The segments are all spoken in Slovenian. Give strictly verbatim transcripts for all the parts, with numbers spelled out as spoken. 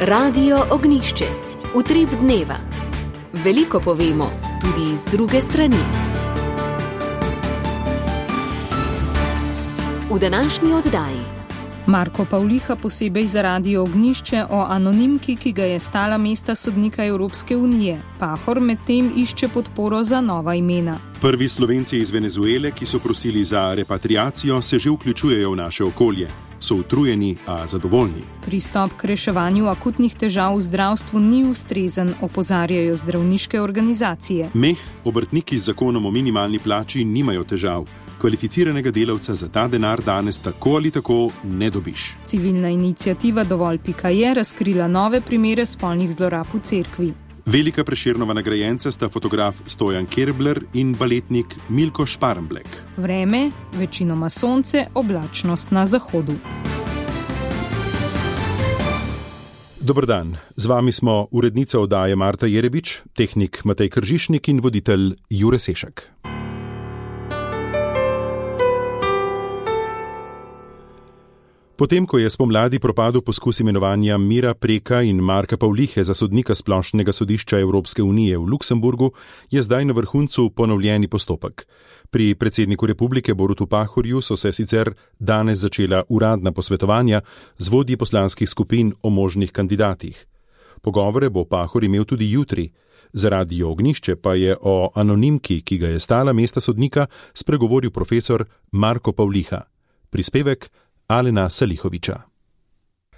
Radio Ognjišče. Utrip dneva. Veliko povemo, tudi z druge strani. V današnji oddaji Marko Pavliha posebej za Radio Ognjišče o anonimki, ki ga je stala mesta sodnika Evropske unije. Pahor medtem išče podporo za nova imena. Prvi Slovenci iz Venezuele, ki so prosili za repatriacijo, se že vključujejo v naše okolje. So utrujeni, a zadovoljni. Pristop k reševanju akutnih težav v zdravstvu ni ustrezen, opozarjajo zdravniške organizacije. Meh, obrtniki z zakonom o minimalni plači nimajo težav. Kvalificiranega delavca za ta denar danes tako ali tako ne dobiš. Civilna iniciativa Dovolj pika je razkrila nove primere spolnih zlorab v cerkvi. Velika Prešernova nagrajenca sta fotograf Stojan Kerbler in baletnik Milko Šparmblek. Vreme, večinoma sonce, oblačnost na zahodu. Dober dan, z vami smo urednica oddaje Marta Jerebič, tehnik Matej Kržišnik in voditelj Jure Sešek. Potem, ko je spomladi propadel poskus imenovanja Mira Preka in Marka Pavlihe za sodnika Splošnega sodišča Evropske unije v Luksemburgu, je zdaj na vrhuncu ponovljeni postopek. Pri predsedniku republike Borutu Pahorju so se sicer danes začela uradna posvetovanja z vodji poslanskih skupin o možnih kandidatih. Pogovore bo Pahor imel tudi jutri. Za Radio Ognjišče pa je o anonimki, ki ga je stala mesta sodnika, spregovoril profesor Marko Pavliha. Prispevek Alena Salihoviča.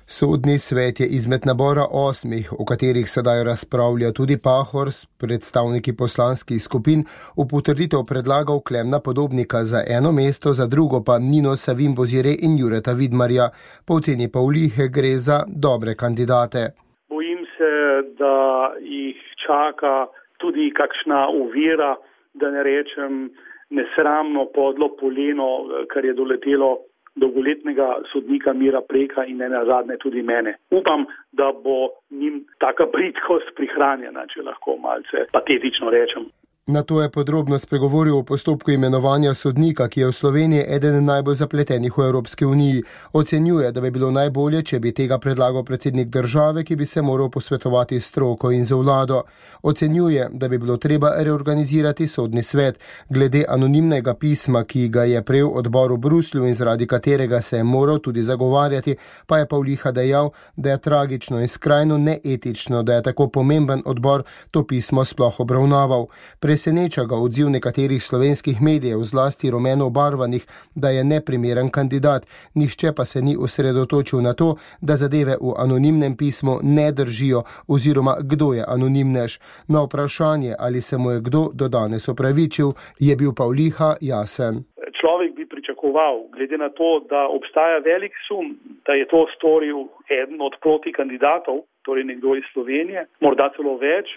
Sodni svet je izmed nabora osmih, o katerih sedaj razpravlja tudi Pahor s predstavniki poslanskih skupin, v potrditev predlagal Klemna Podobnika za eno mesto, za drugo pa Nino Savin Bozire in Jureta Vidmarja. Po oceni Pavlihe gre za dobre kandidate. Bojim se, da jih čaka tudi kakšna ovira, da ne rečem nesramno podlo poleno, kar je doletelo dolgoletnega sodnika Mira Preka in ne nazadnje tudi mene. Upam, da bo njim taka bridkost prihranjena, če lahko malce patetično rečem. Na to je podrobno spregovoril o postopku imenovanja sodnika, ki je v Sloveniji eden najbolj zapletenih v Evropski uniji. Ocenjuje, da bi bilo najbolje, če bi tega predlagal predsednik države, ki bi se moral posvetovati s stroko in z vlado. Ocenjuje, da bi bilo treba reorganizirati sodni svet. Glede anonimnega pisma, ki ga je prejel odbor v Bruslju in zaradi katerega se je moral tudi zagovarjati, pa je Pavliha dejal, da je tragično in skrajno neetično, da je tako pomemben odbor to pismo sploh obravnaval. Preseneča ga odziv nekaterih slovenskih medijev, zlasti rumeno obarvanih, da je neprimeren kandidat. Nihče pa se ni osredotočil na to, da zadeve v anonimnem pismu ne držijo oziroma kdo je anonimnež. Na vprašanje, ali se mu je kdo do danes opravičil, je bil Pavliha jasen. Človek bi pričakoval, glede na to, da obstaja velik sum, da je to storil eden od protikandidatov, torej nekdo iz Slovenije, morda celo več,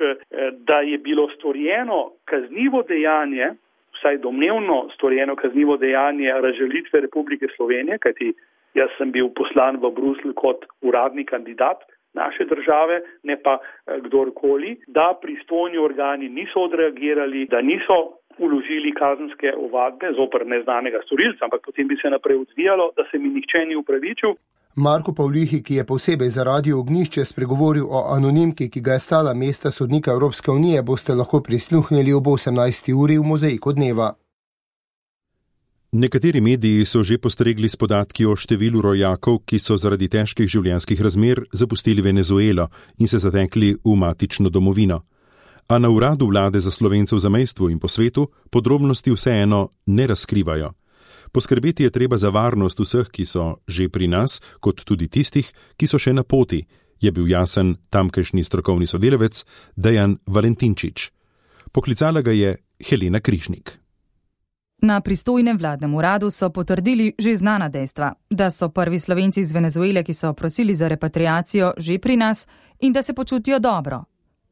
da je bilo storjeno kaznivo dejanje, vsaj domnevno storjeno kaznivo dejanje razžalitve Republike Slovenije, kajti jaz sem bil poslan v Bruselj kot uradni kandidat naše države, ne pa kdorkoli, da pristojni organi niso odreagirali, da niso uložili kazenske ovadbe zoper neznanega storilca, ampak potem bi se naprej odvijalo, da se mi nihče ni upravičil. Marko Pavlihi, ki je posebej za Radio Ognjišče spregovoril o anonimki, ki ga je stala mesta sodnika Evropske unije, boste lahko prisluhnili ob osemnajsti uri v Mozaiku dneva. Nekateri mediji so že postregli s podatki o številu rojakov, ki so zaradi težkih življenjskih razmer zapustili Venezuelo in se zatekli v matično domovino. A na uradu vlade za Slovence v zamejstvu in po svetu podrobnosti vseeno ne razkrivajo. Poskrbeti je treba za varnost vseh, ki so že pri nas, kot tudi tistih, ki so še na poti, je bil jasen tamkajšnji strokovni sodelavec Dejan Valentinčič. Poklicala ga je Helena Križnik. Na pristojnem vladnem uradu so potrdili že znana dejstva, da so prvi Slovenci iz Venezuele, ki so prosili za repatriacijo, že pri nas in da se počutijo dobro.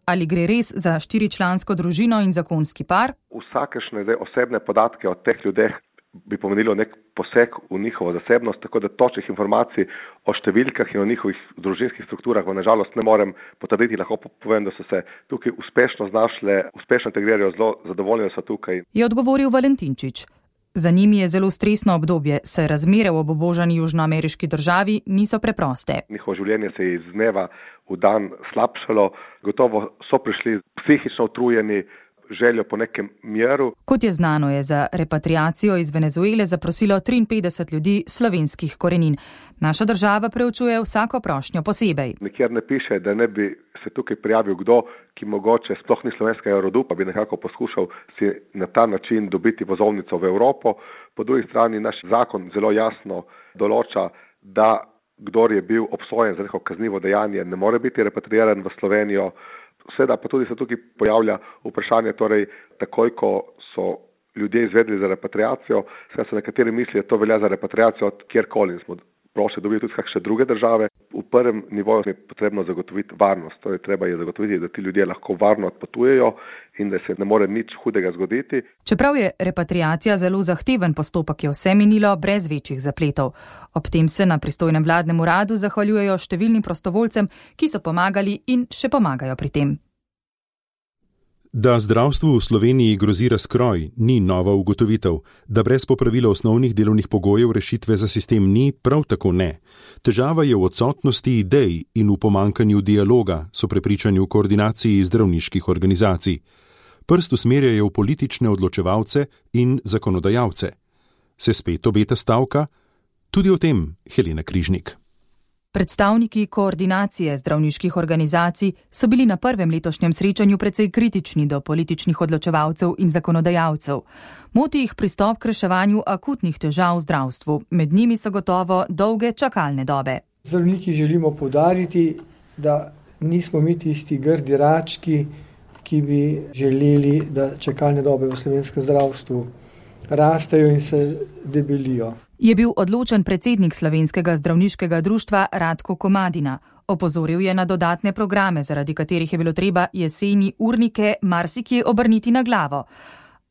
Ali gre res za štiričlansko družino in zakonski par? Vsakešne osebne podatke o teh ljudeh bi pomenilo nek poseg v njihovo zasebnost, tako da točnih informacij o številkah in o njihovih družinskih strukturah na žalost ne morem potrditi. Lahko povem, da so se tukaj uspešno znašle, uspešno integrirajo, zelo zadovoljni so tukaj. Je odgovoril Valentinčič. Za njimi je zelo stresno obdobje, saj razmere v obubožani južnoameriški državi niso preproste. Njihovo življenje se je iz dneva v dan slabšalo, gotovo so prišli psihično utrujeni, željo po nekem miru. Kot je znano, je za repatriacijo iz Venezuele zaprosilo triinpetdeset ljudi slovenskih korenin. Naša država preučuje vsako prošnjo posebej. Nikjer ne piše, da ne bi se tukaj prijavil kdo, ki mogoče sploh ni slovenskega rodu, pa bi nekako poskušal si na ta način dobiti vozovnico v Evropo. Po drugi strani naš zakon zelo jasno določa, da kdor je bil obsojen za neko kaznivo dejanje, ne more biti repatriiran v Slovenijo. Seveda pa tudi se tukaj pojavlja vprašanje, torej takoj, ko so ljudje izvedli za repatriacijo, seveda se nekateri mislijo, da to velja za repatriacijo kjerkoli. Smo prošli dobili tudi kakšne druge države. V prvem nivoju je potrebno zagotoviti varnost, torej treba je zagotoviti, da ti ljudje lahko varno odpotujejo in da se ne more nič hudega zgoditi. Čeprav je repatriacija zelo zahteven postopek, je vse minilo brez večjih zapletov. Ob tem se na pristojnem vladnem uradu zahvaljujejo številnim prostovoljcem, ki so pomagali in še pomagajo pri tem. Da zdravstvu v Sloveniji grozi razkroj, ni nova ugotovitev. Da brez popravila osnovnih delovnih pogojev rešitve za sistem ni, prav tako ne. Težava je v odsotnosti idej in v pomankanju dialoga, so prepričani v koordinaciji zdravniških organizacij. Prst usmerjajo v politične odločevalce in zakonodajalce. Se spet obeta stavka? Tudi o tem Helena Križnik. Predstavniki koordinacije zdravniških organizacij so bili na prvem letošnjem srečanju precej kritični do političnih odločevalcev in zakonodajalcev. Moti jih pristop k reševanju akutnih težav v zdravstvu. Med njimi so gotovo dolge čakalne dobe. Zdravniki želimo poudariti, da nismo mi tisti grdi rački, ki bi želeli, da čakalne dobe v slovenskem zdravstvu rastejo in se debelijo. Je bil odločen predsednik Slovenskega zdravniškega društva Radko Komadina. Opozoril je na dodatne programe, zaradi katerih je bilo treba jeseni urnike marsikje obrniti na glavo.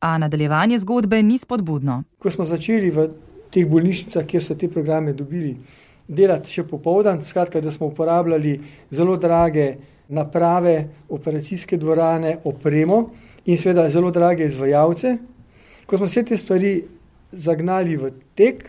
A nadaljevanje zgodbe ni spodbudno. Ko smo začeli v teh bolnišnicah, kjer so te programe dobili, delati še popoldan, skratka, da smo uporabljali zelo drage naprave, operacijske dvorane, opremo in seveda zelo drage izvajalce. Ko smo vse te stvari zagnali v tek,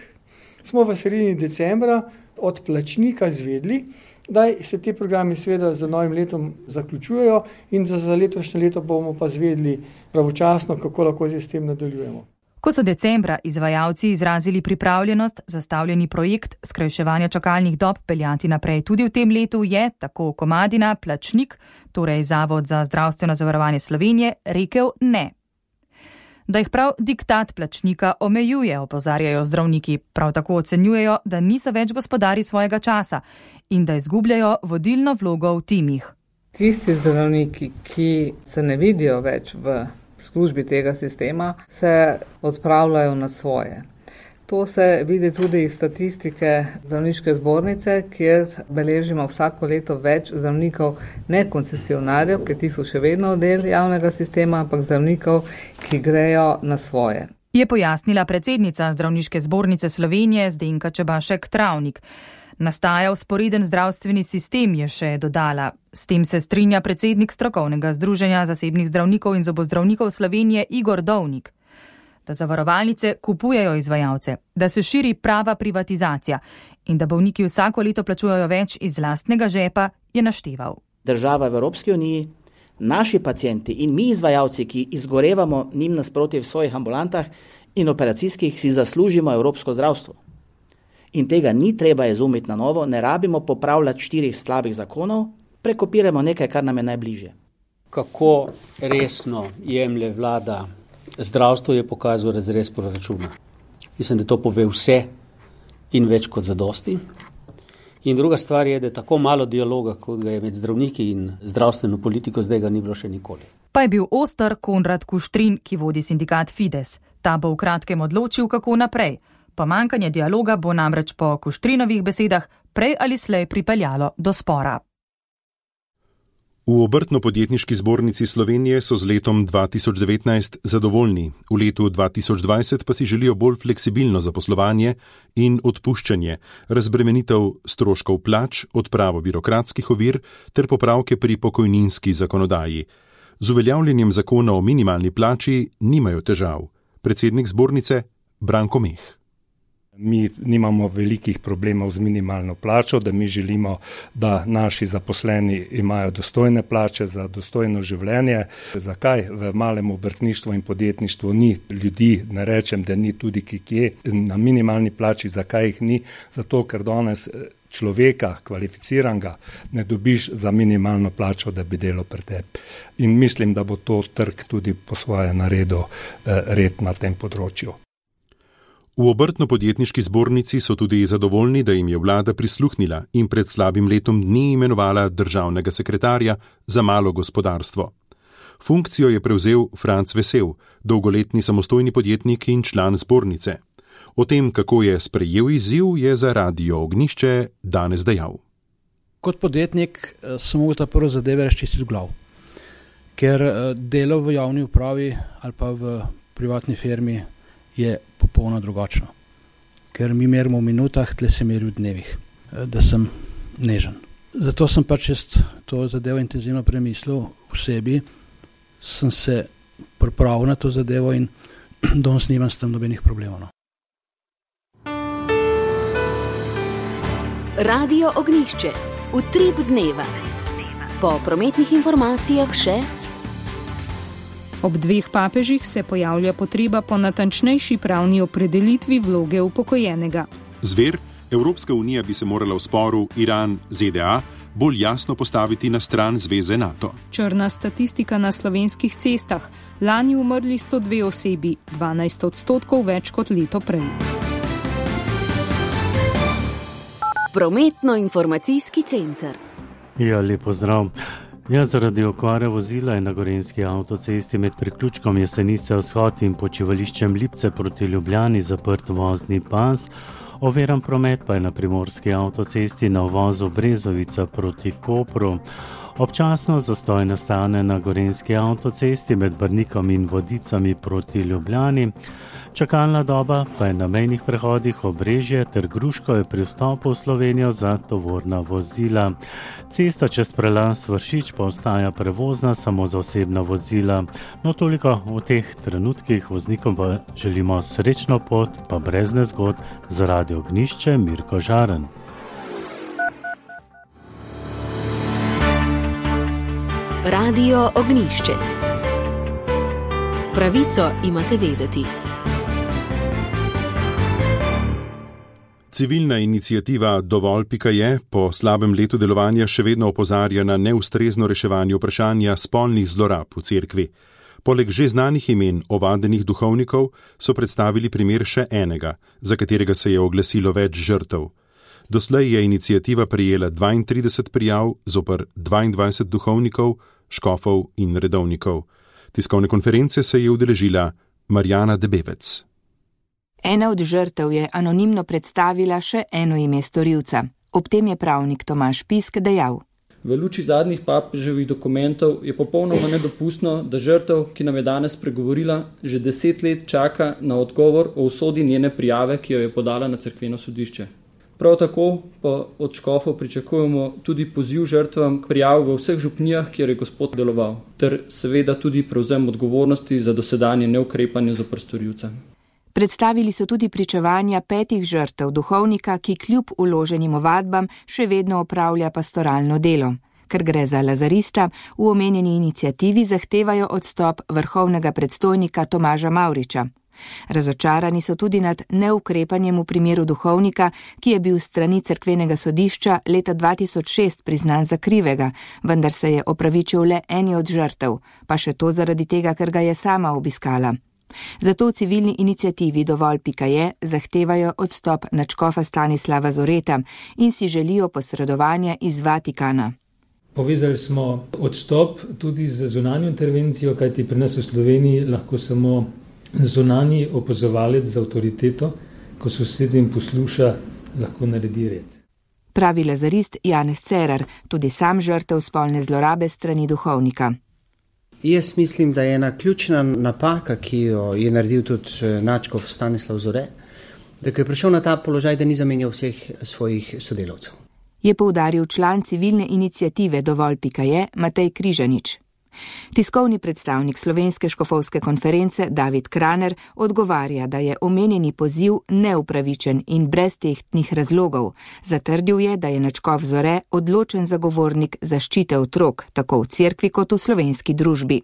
smo v sredini decembra od plačnika izvedli, da se te programi seveda za novim letom zaključujejo in za, za letošnje leto bomo pa izvedli pravočasno, kako lahko z tem nadaljujemo. Ko so decembra izvajalci izrazili pripravljenost, zastavljeni projekt skrajševanja čakalnih dob peljati naprej tudi v tem letu, je, tako Komadina, plačnik, torej Zavod za zdravstveno zavarovanje Slovenije, rekel ne. Da jih prav diktat plačnika omejuje, opozarjajo zdravniki. Prav tako ocenjujejo, da niso več gospodari svojega časa in da izgubljajo vodilno vlogo v timih. Tisti zdravniki, ki se ne vidijo več v službi tega sistema, se odpravljajo na svoje. To se vidi tudi iz statistike zdravniške zbornice, kjer beležimo vsako leto več zdravnikov, ne koncesionarjev, ker ti so še vedno del javnega sistema, ampak zdravnikov, ki grejo na svoje. Je pojasnila predsednica Zdravniške zbornice Slovenije Zdenka Čebašek Travnik. Nastaja vzporeden zdravstveni sistem, je še dodala. S tem se strinja predsednik strokovnega združenja zasebnih zdravnikov in zobozdravnikov Slovenije Igor Dovnik. Da zavarovalnice kupujejo izvajalce, da se širi prava privatizacija in da bolniki vsako leto plačujejo več iz lastnega žepa, je našteval. Država v Evropski uniji, naši pacienti in mi izvajalci, ki izgorevamo njim nasproti v svojih ambulantah in operacijskih, si zaslužimo evropsko zdravstvo. In tega ni treba izumiti na novo, ne rabimo popravljati štirih slabih zakonov, prekopiramo nekaj, kar nam je najbližje. Kako resno jemlje vlada zdravstvo, je pokazal razrez proračuna. Mislim, da to pove vse in več kot zadosti. In druga stvar je, da je tako malo dialoga, kot ga je med zdravniki in zdravstveno politiko, zdaj ga ni bilo še nikoli. Pa je bil oster Konrad Kuštrin, ki vodi sindikat Fides. Ta bo v kratkem odločil, kako naprej. Pomanjkanje dialoga bo namreč po Kuštrinovih besedah prej ali slej pripeljalo do spora. V Obrtno-podjetniški zbornici Slovenije so z letom dva tisoč devetnajst zadovoljni, v letu dva tisoč dvajset pa si želijo bolj fleksibilno zaposlovanje in odpuščanje, razbremenitev stroškov plač, odpravo birokratskih ovir ter popravke pri pokojninski zakonodaji. Z uveljavljanjem zakona o minimalni plači nimajo težav. Predsednik zbornice Branko Meh. Mi nimamo velikih problemov z minimalno plačo, da mi želimo, da naši zaposleni imajo dostojne plače za dostojno življenje. Zakaj v malem obrtništvu in podjetništvu ni ljudi, ne rečem, da ni tudi kje na minimalni plači, zakaj jih ni? Zato, ker danes človeka, kvalificiranega, ne dobiš za minimalno plačo, da bi delal pri tebi. In mislim, da bo to trg tudi po svoje naredil red na tem področju. V Obrtno-podjetniški zbornici so tudi zadovoljni, da jim je vlada prisluhnila in pred slabim letom dni imenovala državnega sekretarja za malo gospodarstvo. Funkcijo je prevzel Franc Vesel, dolgoletni samostojni podjetnik in član zbornice. O tem, kako je sprejel izziv, je za Radio Ognjišče danes dejal. Kot podjetnik sem mogel ta prvo zadeve razčistiti v glav, ker delo v javni upravi ali pa v privatni firmi je popolno drugačno. Ker mi merimo v minutah, tle se meri v dnevih, da sem nežen. Zato sem pač to zadevo intenzivno premislil v sebi, sem se pripravil na to zadevo in danes nimam s tem nobenih problemov. No. Radio Ognjišče, utrip dneva. Po prometnih informacijah še. Ob dveh papežih se pojavlja potreba po natančnejši pravni opredelitvi vloge upokojenega. Zver, Evropska unija bi se morala v sporu Iran-Z D A bolj jasno postaviti na stran zveze NATO. Črna statistika na slovenskih cestah. Lani umrli sto dve osebi, dvanajst odstotkov več kot leto prej. Prometno-informacijski center. Ja, lepo zdrav. Ja, zaradi okvare vozila je na gorenjski avtocesti med priključkom Jesenice vzhod in počivališčem Lipce proti Ljubljani zaprt vozni pas. Oviran promet pa je na primorski avtocesti na uvozu Brezovica proti Kopru. Občasno zastoj nastane na gorenjski avtocesti med Brnikom in Vodicami proti Ljubljani. Čakalna doba pa je na mejnih prehodih Obrežje ter Gruško je pri vstopu v Slovenijo za tovorna vozila. Cesta čez prelaz Vršič pa ostaja prevozna samo za osebna vozila. No, toliko v teh trenutkih. Voznikom pa želimo srečno pot, pa brez nezgod. Za Radio Ognjišče Mirko Žaren. Radio Ognjišče. Pravico imate vedeti. Civilna iniciativa Dovolj pika je po slabem letu delovanja še vedno opozarja na neustrezno reševanje vprašanja spolnih zlorab v cerkvi. Poleg že znanih imen ovadenih duhovnikov so predstavili primer še enega, za katerega se je oglasilo več žrtev. Doslej je iniciativa prejela dvaintrideset prijav zoper dvaindvajset duhovnikov, škofov in redovnikov. Tiskovne konference se je udeležila Marjana Debevec. Ena od žrtev je anonimno predstavila še eno ime storilca. Ob tem je pravnik Tomaž Pisk dejal. V luči zadnjih papeževih dokumentov je popolnoma nedopustno, da žrtev, ki nam je danes pregovorila, že deset let čaka na odgovor o usodi njene prijave, ki jo je podala na cerkveno sodišče. Prav tako pa od škofov pričakujemo tudi poziv žrtvam k prijavi v vseh župnijah, kjer je gospod deloval, ter seveda tudi prevzem odgovornosti za dosedanje neukrepanje zoper storilca. Predstavili so tudi pričevanja petih žrtev duhovnika, ki kljub vloženim ovadbam še vedno opravlja pastoralno delo. Ker gre za lazarista, v omenjeni iniciativi zahtevajo odstop vrhovnega predstojnika Tomaža Mavriča. Razočarani so tudi nad neukrepanjem v primeru duhovnika, ki je bil s strani cerkvenega sodišča leta dva tisoč šest priznan za krivega, vendar se je opravičil le eni od žrtev, pa še to zaradi tega, ker ga je sama obiskala. Zato v civilni iniciativi Dovolj pika je zahtevajo odstop nadškofa Stanislava Zoreta in si želijo posredovanja iz Vatikana. Povezali smo odstop tudi z zunanjo intervencijo, kajti pri nas v Sloveniji lahko samo zunanji opazovalec z avtoriteto, ko sosednjim posluša, lahko naredi red. Pravi lazarist Janez Cerar, tudi sam žrtev spolne zlorabe strani duhovnika. Jaz mislim, da je ena ključna napaka, ki jo je naredil tudi nadškof Stanislav Zore, da ko je prišel na ta položaj, da ni zamenjal vseh svojih sodelavcev. Je poudaril član civilne iniciative Dovolj pika je Matej Križanič. Tiskovni predstavnik Slovenske škofovske konference David Kraner odgovarja, da je omenjeni poziv neupravičen in brez tehtnih razlogov. Zatrdil je, da je nadškof Zore odločen zagovornik zaščite otrok, tako v cerkvi kot v slovenski družbi.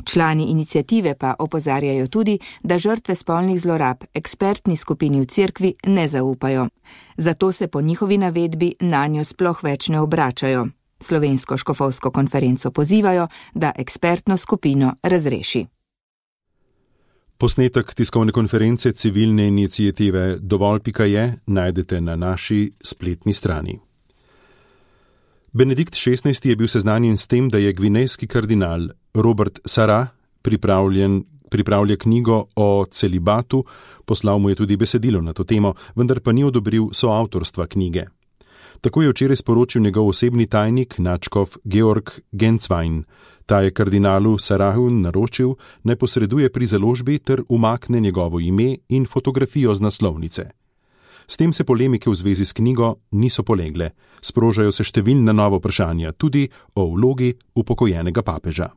Člani iniciative pa opozarjajo tudi, da žrtve spolnih zlorab ekspertni skupini v cerkvi ne zaupajo. Zato se po njihovi navedbi nanjo sploh več ne obračajo. Slovensko škofovsko konferenco pozivajo, da ekspertno skupino razreši. Posnetek tiskovne konference civilne iniciative Dovolj pika je najdete na naši spletni strani. Benedikt šestnajsti je bil seznanjen s tem, da je gvinejski kardinal Robert Sarah pripravlja knjigo o celibatu, poslal mu je tudi besedilo na to temo, vendar pa ni odobril soavtorstva knjige. Tako je včeraj sporočil njegov osebni tajnik, nadškof Georg Genswein. Ta je kardinalu Sarahu naročil, naj posreduje pri založbi ter umakne njegovo ime in fotografijo z naslovnice. S tem se polemike v zvezi s knjigo niso polegle. Sprožajo se številna nova vprašanja, tudi o vlogi upokojenega papeža.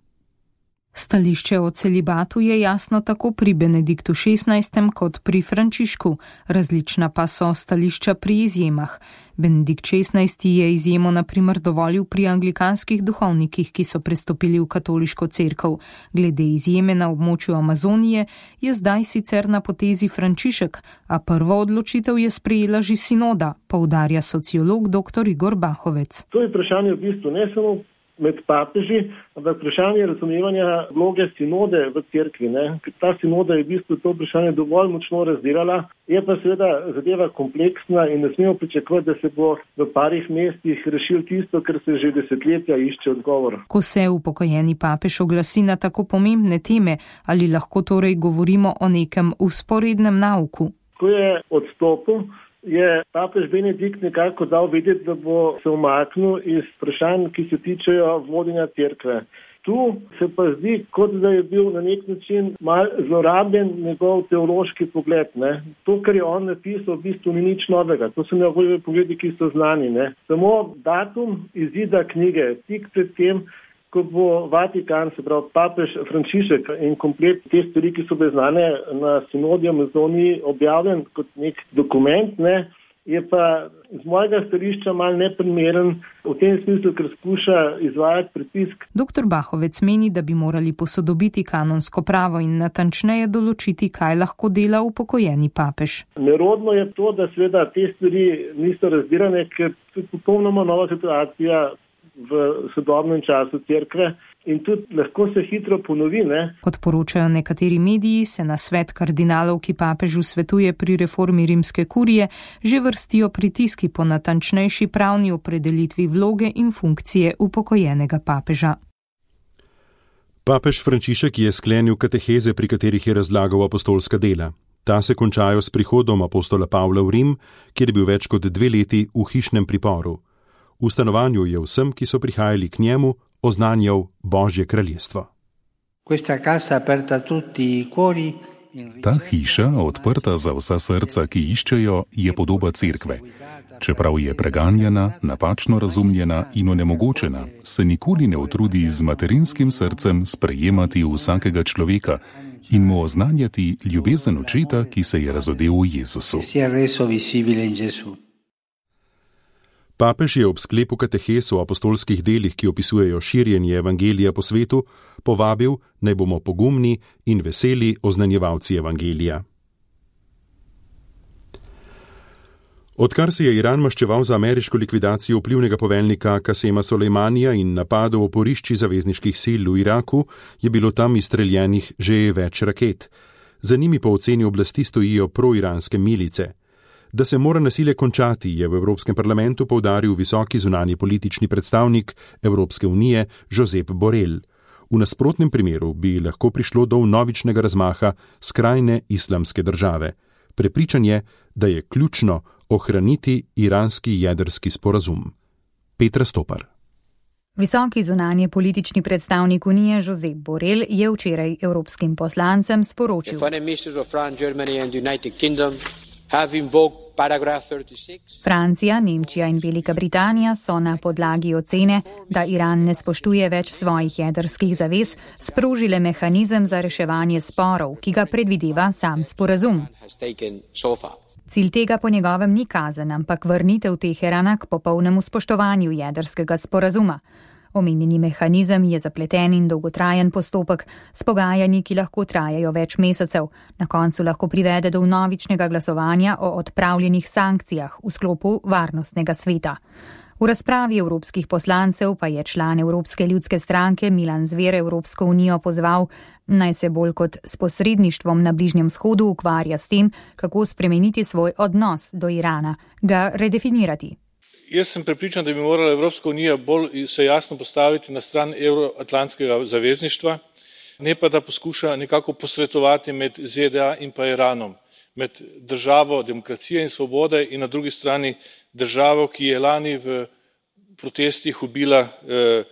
Stališče o celibatu je jasno tako pri Benediktu šestnajstem kot pri Frančišku, različna pa so stališča pri izjemah. Benedikt šestnajsti je izjemo na primer dovolil pri anglikanskih duhovnikih, ki so prestopili v katoliško cerkev. Glede izjeme na območju Amazonije je zdaj sicer na potezi Frančišek, a prvo odločitev je sprejela že sinoda, poudarja sociolog dr. Igor Bahovec. To je vprašanje v bistvu ne samo med papeži, ampak vprašanje razumevanja vloge sinode v cerkvi. Ne? Ta sinoda je v bistvu to vprašanje dovolj močno razdelala, je pa seveda zadeva kompleksna in ne smemo pričakovati, da se bo v parih mestih rešil tisto, kar se že desetletja išče odgovor. Ko se upokojeni papež oglasi na tako pomembne teme, ali lahko torej govorimo o nekem vzporednem nauku? Ko je odstopil, je papež Benedikt nekako dal vedeti, da bo se umaknil iz vprašanj, ki se tičejo vodenja cerkve. Tu se pa zdi, kot da je bil na nek način mal zlorabljen njegov teološki pogled. Ne. To, kar je on napisal, v bistvu ni nič novega. To so njegovi pogledi, ki so znani. Ne. Samo datum izida knjige, tik pred tem, ko bo Vatikan, se pravi papež Frančišek in komplet te stvari, ki so bile znane na sinodiju Amazoniji, objavljen kot nek dokument, ne, je pa z mojega stališča mal neprimeren v tem smislu, ker skuša izvajati pritisk. Doktor Bahovec meni, da bi morali posodobiti kanonsko pravo in natančneje določiti, kaj lahko dela upokojeni papež. Nerodno je to, da seveda te stvari niso razdirane, ker je popolnoma nova situacija v sodobnem času cerkve in tudi lahko se hitro ponovi. Ne? Kot poročajo nekateri mediji, se na svet kardinalov, ki papežu svetuje pri reformi rimske kurije, že vrstijo pritiski po natančnejši pravni opredelitvi vloge in funkcije upokojenega papeža. Papež Frančišek je sklenil kateheze, pri katerih je razlagal apostolska dela. Ta se končajo s prihodom apostola Pavla v Rim, kjer je bil več kot dve leti v hišnem priporu. V stanovanju je vsem, ki so prihajali k njemu, oznanjal Božje kraljestvo. Ta hiša, odprta za vsa srca, ki iščejo, je podoba cerkve. Čeprav je preganjena, napačno razumljena in onemogočena, se nikoli ne utrudi z materinskim srcem sprejemati vsakega človeka in mu oznanjati ljubezen očeta, ki se je razodel v Jezusu. Papež je ob sklepu katehes o apostolskih delih, ki opisujejo širjenje evangelija po svetu, povabil, naj bomo pogumni in veseli oznanjevalci evangelija. Odkar se je Iran maščeval za ameriško likvidacijo vplivnega poveljnika Kasema Solejmanija in napadov v oporišči zavezniških sil v Iraku, je bilo tam izstreljenih že več raket. Za njimi po oceni oblasti stojijo proiranske milice. Da se mora nasilje končati, je v Evropskem parlamentu poudaril visoki zunanji politični predstavnik Evropske unije Josep Borrell. V nasprotnem primeru bi lahko prišlo do vnovičnega razmaha skrajne islamske države. Prepričan je, da je ključno ohraniti iranski jedrski sporazum. Petra Stopar. Visoki zunanji politični predstavnik unije Josep Borrell je včeraj evropskim poslancem sporočil: Francija, Nemčija in Velika Britanija so na podlagi ocene, da Iran ne spoštuje več svojih jedrskih zavez, sprožile mehanizem za reševanje sporov, ki ga predvideva sam sporazum. Cilj tega po njegovem ni kazen, ampak vrnitev Teherana k popolnemu spoštovanju jedrskega sporazuma. Omenjeni mehanizem je zapleten in dolgotrajen postopek s pogajanji, ki lahko trajajo več mesecev. Na koncu lahko privede do vnovičnega glasovanja o odpravljenih sankcijah v sklopu varnostnega sveta. V razpravi evropskih poslancev pa je član Evropske ljudske stranke Milan Zver Evropsko unijo pozval, naj se bolj kot s posredništvom na Bližnjem vzhodu ukvarja s tem, kako spremeniti svoj odnos do Irana, ga redefinirati. Jaz sem prepričan, da bi morala Evropska unija bolj se jasno postaviti na stran evroatlantskega zavezništva, ne pa da poskuša nekako posredovati med Z D A in pa Iranom, med državo demokracije in svobode in na drugi strani državo, ki je lani v protestih ubila eh,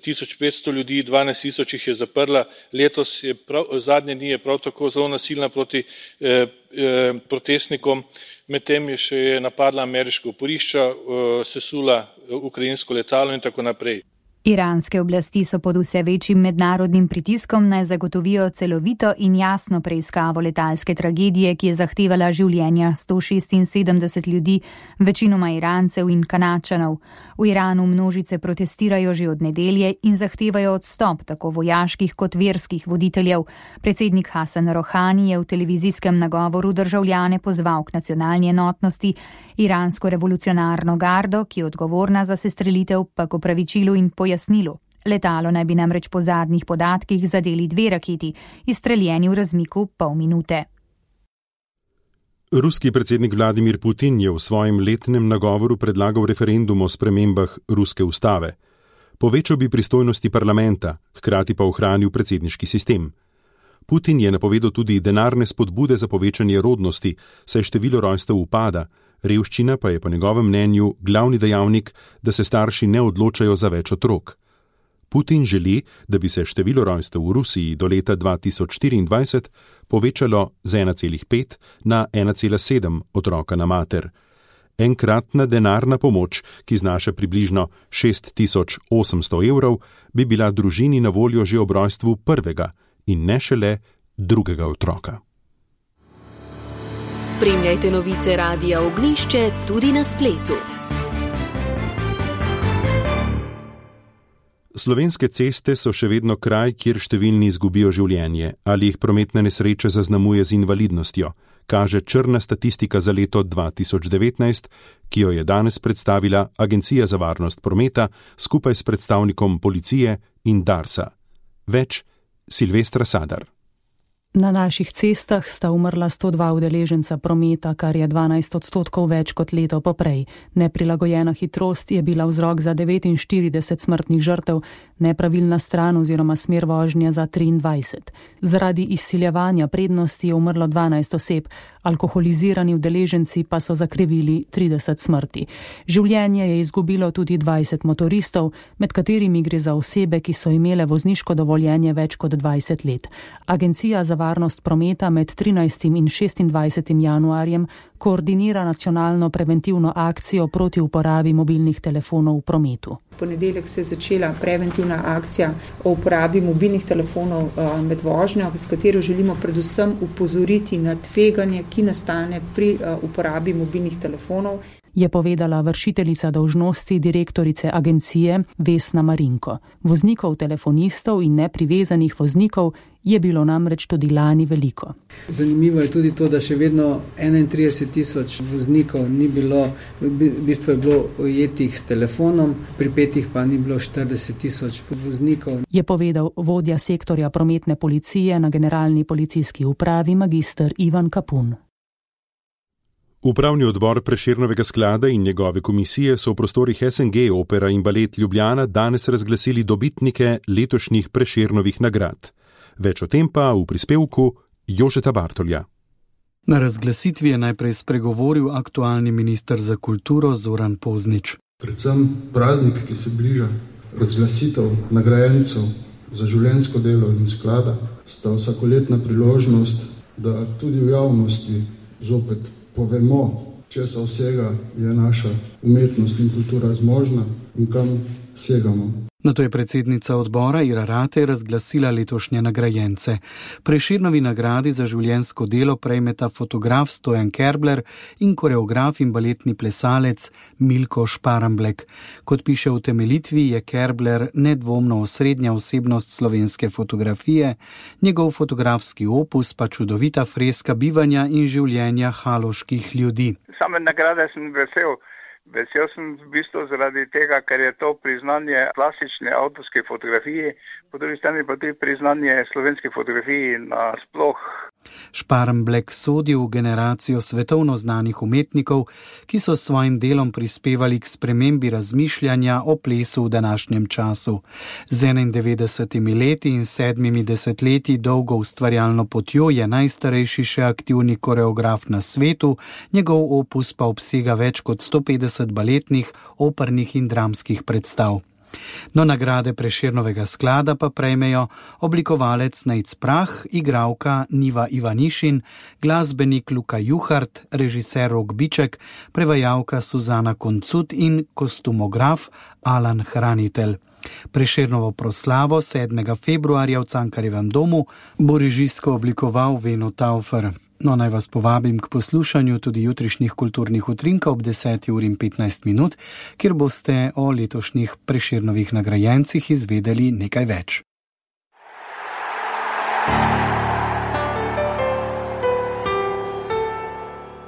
tisoč petsto ljudi, dvanajst tisoč jih je zaprla, letos je prav, zadnje dni je prav tako zelo nasilna proti eh, eh, protestnikom, medtem je še napadla ameriška oporišča, eh, sesula ukrajinsko letalo in tako naprej. Iranske oblasti so pod vse večjim mednarodnim pritiskom naj zagotovijo celovito in jasno preiskavo letalske tragedije, ki je zahtevala življenja sto šestinsedemdeset ljudi, večinoma Irancev in Kanadčanov. V Iranu množice protestirajo že od nedelje in zahtevajo odstop tako vojaških kot verskih voditeljev. Predsednik Hasan Rohani je v televizijskem nagovoru državljane pozval k nacionalni enotnosti, iransko revolucionarno gardo, ki je odgovorna za sestrelitev, pa k opravičilu in pojasnilu. Letalo naj bi namreč po zadnjih podatkih zadeli dve raketi, izstreljeni v razmiku pol minute. Ruski predsednik Vladimir Putin je v svojem letnem nagovoru predlagal referendum o spremembah ruske ustave. Povečal bi pristojnosti parlamenta, hkrati pa ohranil predsedniški sistem. Putin je napovedal tudi denarne spodbude za povečanje rodnosti, saj število rojstev upada, revščina pa je po njegovem mnenju glavni dejavnik, da se starši ne odločajo za več otrok. Putin želi, da bi se število rojstev v Rusiji do leta dva tisoč štiriindvajset povečalo z ena celih pet na ena cela sedem otroka na mater. Enkratna denarna pomoč, ki znaša približno šest tisoč osemsto evrov, bi bila družini na voljo že ob rojstvu prvega in ne šele drugega otroka. Spremljajte novice Radia Ognjišče tudi na spletu. Slovenske ceste so še vedno kraj, kjer številni izgubijo življenje ali jih prometne nesreče zaznamuje z invalidnostjo, kaže črna statistika za leto dva tisoč devetnajst, ki jo je danes predstavila Agencija za varnost prometa skupaj s predstavnikom policije in Darsa. Več Silvestra Sadar. Na naših cestah sta umrla sto dva udeleženca prometa, kar je dvanajst odstotkov več kot leto poprej. Neprilagojena hitrost je bila vzrok za devetinštirideset smrtnih žrtev, nepravilna stran oziroma smer vožnje za triindvajset. Zaradi izsiljevanja prednosti je umrlo dvanajst oseb, alkoholizirani udeleženci pa so zakrivili trideset smrti. Življenje je izgubilo tudi dvajset motoristov, med katerimi gre za osebe, ki so imele vozniško dovoljenje več kot dvajset let. Agencija za varnost prometa med trinajstim in šestindvajsetim januarjem koordinira nacionalno preventivno akcijo proti uporabi mobilnih telefonov v prometu. V ponedeljek se je začela preventivna akcija o uporabi mobilnih telefonov med vožnjo, s katero želimo predvsem upozoriti na tveganje, ki nastane pri uporabi mobilnih telefonov. Je povedala vršiteljica dolžnosti direktorice agencije Vesna Marinko. Voznikov, telefonistov in neprivezanih voznikov je bilo namreč tudi lani veliko. Zanimivo je tudi to, da še vedno enaintrideset tisoč voznikov ni bilo, v bistvu je bilo ujetih s telefonom, pripetih pa ni bilo štirideset tisoč voznikov. Je povedal vodja sektorja prometne policije na Generalni policijski upravi magister Ivan Kapun. Upravni odbor Prešernovega sklada in njegove komisije so v prostorih S N G Opera in Balet Ljubljana danes razglasili dobitnike letošnjih Prešernovih nagrad. Več o tem pa v prispevku Jožeta Bartolja. Na razglasitvi je najprej spregovoril aktualni minister za kulturo Zoran Poznič. Predvsem praznik, ki se bliža, razglasitev nagrajencev za življenjsko delo in sklada, sta vsakoletna priložnost, da tudi v javnosti zopet povemo, česa vsega je naša umetnost in kultura zmožna in kam segamo. Nato je predsednica odbora Ira Ratej razglasila letošnje nagrajence. Prešernovi nagradi za življenjsko delo prejmeta fotograf Stojan Kerbler in koreograf in baletni plesalec Milko Šparamblek. Kot piše v utemeljitvi, je Kerbler nedvomno osrednja osebnost slovenske fotografije, njegov fotografski opus pa čudovita freska bivanja in življenja haloških ljudi. Same nagrade sem vesel. Vesel sem v bistvu zaradi tega, ker je to priznanje klasične avtorske fotografije, po drugi strani pa tudi priznanje slovenske fotografije nasploh. Šparamblek sodi v generacijo svetovno znanih umetnikov, ki so s svojim delom prispevali k spremembi razmišljanja o plesu v današnjem času. Z enaindevetdesetimi leti in sedmimi desetletji dolgo ustvarjalno potjo je najstarejši še aktivni koreograf na svetu, njegov opus pa obsega več kot sto petdeset baletnih, opernih in dramskih predstav. No, nagrade Prešernovega sklada pa prejmejo oblikovalec Nejc Prah, igralka Niva Ivanišin, glasbenik Luka Juhart, režiser Rok Biček, prevajalka Suzana Koncut in kostumograf Alan Hranitelj. Prešernovo proslavo sedmega februarja v Cankarjevem domu bo režijsko oblikoval Veno Taufer. No, naj vas povabim k poslušanju tudi jutrišnjih kulturnih utrinkov ob deseti uri in petnajst minut, kjer boste o letošnjih Prešernovih nagrajencih izvedeli nekaj več.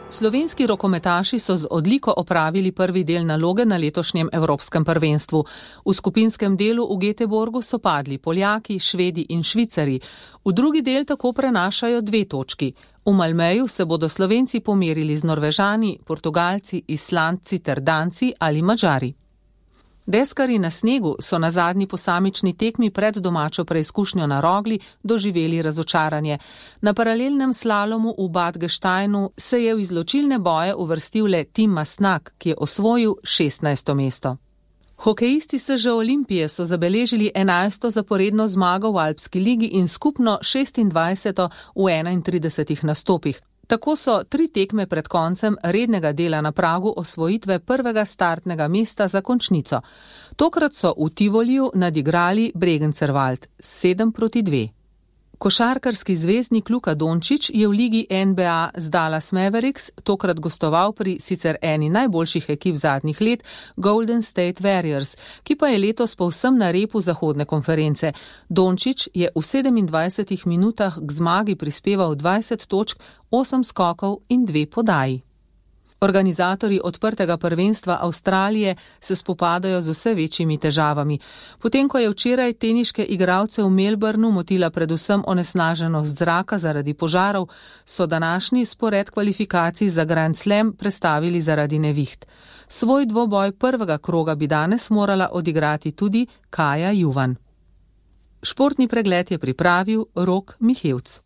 Slovenski rokometaši so z odliko opravili prvi del naloge na letošnjem Evropskem prvenstvu. V skupinskem delu v Göteborgu so padli Poljaki, Švedi in Švicari. V drugi del tako prenašajo dve točki. V Malmeju se bodo Slovenci pomerili z Norvežani, Portugalci, Islandci ter Danci ali Madžari. Deskarji na snegu so na zadnji posamični tekmi pred domačo preizkušnjo na Rogli doživeli razočaranje. Na paralelnem slalomu v Bad Gesteinu se je v izločilne boje uvrstil le Tim Masnak, ki je osvojil šestnajsto mesto. Hokejisti S Ž Olimpije so zabeležili enajsto zaporedno zmago v Alpski ligi in skupno šestindvajseto v enaintridesetih nastopih. Tako so tri tekme pred koncem rednega dela na pragu osvojitve prvega startnega mesta za končnico. Tokrat so v Tivoliju nadigrali Bregencerwald sedem proti dve. Košarkarski zvezdnik Luka Dončić je v ligi N B A z Dallas Mavericks tokrat gostoval pri sicer eni najboljših ekip zadnjih let Golden State Warriors, ki pa je letos povsem na repu zahodne konference. Dončić je v sedemindvajsetih minutah k zmagi prispeval dvajset točk, osem skokov in dve podaji. Organizatorji odprtega prvenstva Avstralije se spopadajo z vse večjimi težavami. Potem, ko je včeraj teniške igralce v Melbourneu motila predvsem onesnaženost zraka zaradi požarov, so današnji spored kvalifikacij za Grand Slam prestavili zaradi neviht. Svoj dvoboj prvega kroga bi danes morala odigrati tudi Kaja Juvan. Športni pregled je pripravil Rok Mihevc.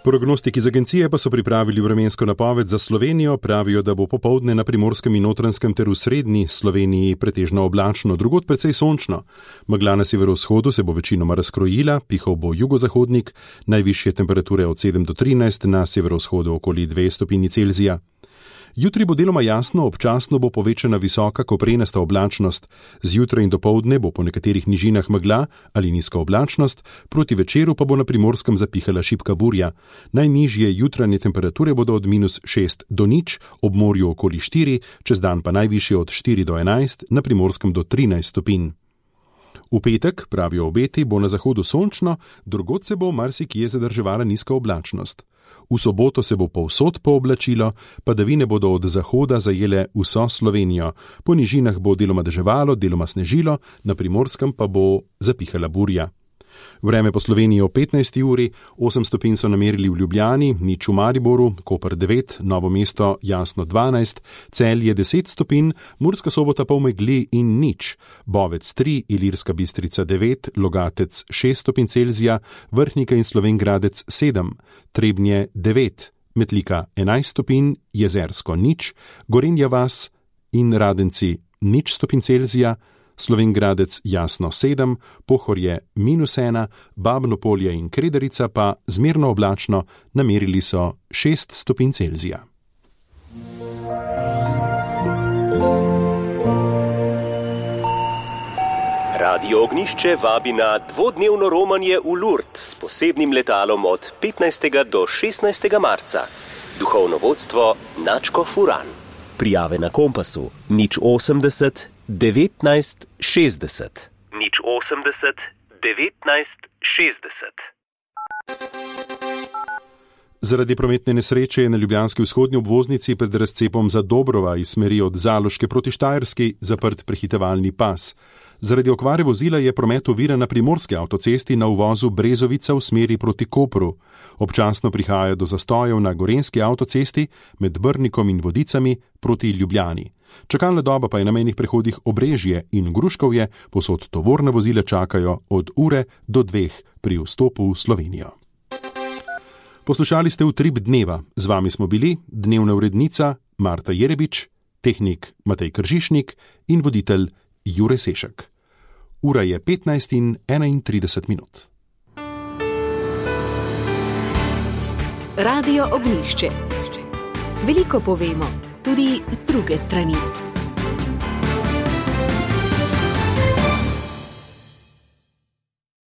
Prognostiki z agencije pa so pripravili vremensko napoved za Slovenijo, pravijo, da bo popoldne na Primorskem in Notranjskem ter v srednji Sloveniji pretežno oblačno, drugod precej sončno. Megla na severovzhodu se bo večinoma razkrojila, pihal bo jugozahodnik, najvišje temperature od sedem do trinajst, na severovzhodu okoli dve stopinji Celzija. Jutri bo deloma jasno, občasno bo povečana visoka koprenasta oblačnost. Zjutraj in dopoldne bo po nekaterih nižinah megla ali nizka oblačnost, proti večeru pa bo na Primorskem zapihala šibka burja. Najnižje jutranje temperature bodo od minus šest do nič, ob morju okoli štiri, čez dan pa najvišje od štiri do enajst, na Primorskem do trinajst stopinj. V petek, pravijo obeti, bo na zahodu sončno, drugod se bo marsikje zadrževala nizka oblačnost. V soboto se bo povsod pooblačilo, padavine bodo od zahoda zajele vso Slovenijo. Po nižinah bo deloma deževalo, deloma snežilo, na Primorskem pa bo zapihala burja. Vreme po Sloveniji o petnajsti uri, osem stopinj so namerili v Ljubljani, nič v Mariboru, Koper devet, Novo mesto jasno dvanajst, Celje deset stopinj, Murska Sobota pa v megli in nič, Bovec tri, Ilirska Bistrica devet, Logatec šest stopinj Celzija, Vrhnika in Slovenj Gradec sedem, Trebnje devet, Metlika enajst stopinj, Jezersko nič, Gorenja vas in Radenci nič stopinj Celzija, Slovenj Gradec jasno sedem, Pohorje minus ena, Babno Polje in Krederica pa zmerno oblačno, namerili so šest stopinj Celzija. Radio Ognjišče vabi na dvodnevno romanje v Lourdes s posebnim letalom od petnajstega do šestnajstega marca. Duhovno vodstvo Načko Furan. Prijave na Kompasu nič osemdeset devetnajst šestdeset. nič osemdeset devetnajst šestdeset. Zaradi prometne nesreče je na ljubljanski vzhodni obvoznici pred razcepom za Dobrova iz smeri od Zaloške proti Štajerski zaprt prehitevalni pas. Zaradi okvare vozila je promet oviran na primorski avtocesti na uvozu Brezovica v smeri proti Kopru. Občasno prihaja do zastojev na gorenjski avtocesti med Brnikom in Vodicami proti Ljubljani. Čakalna doba pa je na mejnih prehodih Obrežje in Gruškovje, povsod tovorna vozila čakajo od ure do dveh pri vstopu v Slovenijo. Poslušali ste Utrip dneva. Z vami smo bili dnevna urednica Marta Jerebič, tehnik Matej Kržišnik in voditelj Jure Sešek. Ura je petnajst in enaintrideset minut. Radio Ognjišče. Veliko povemo, tudi z druge strani.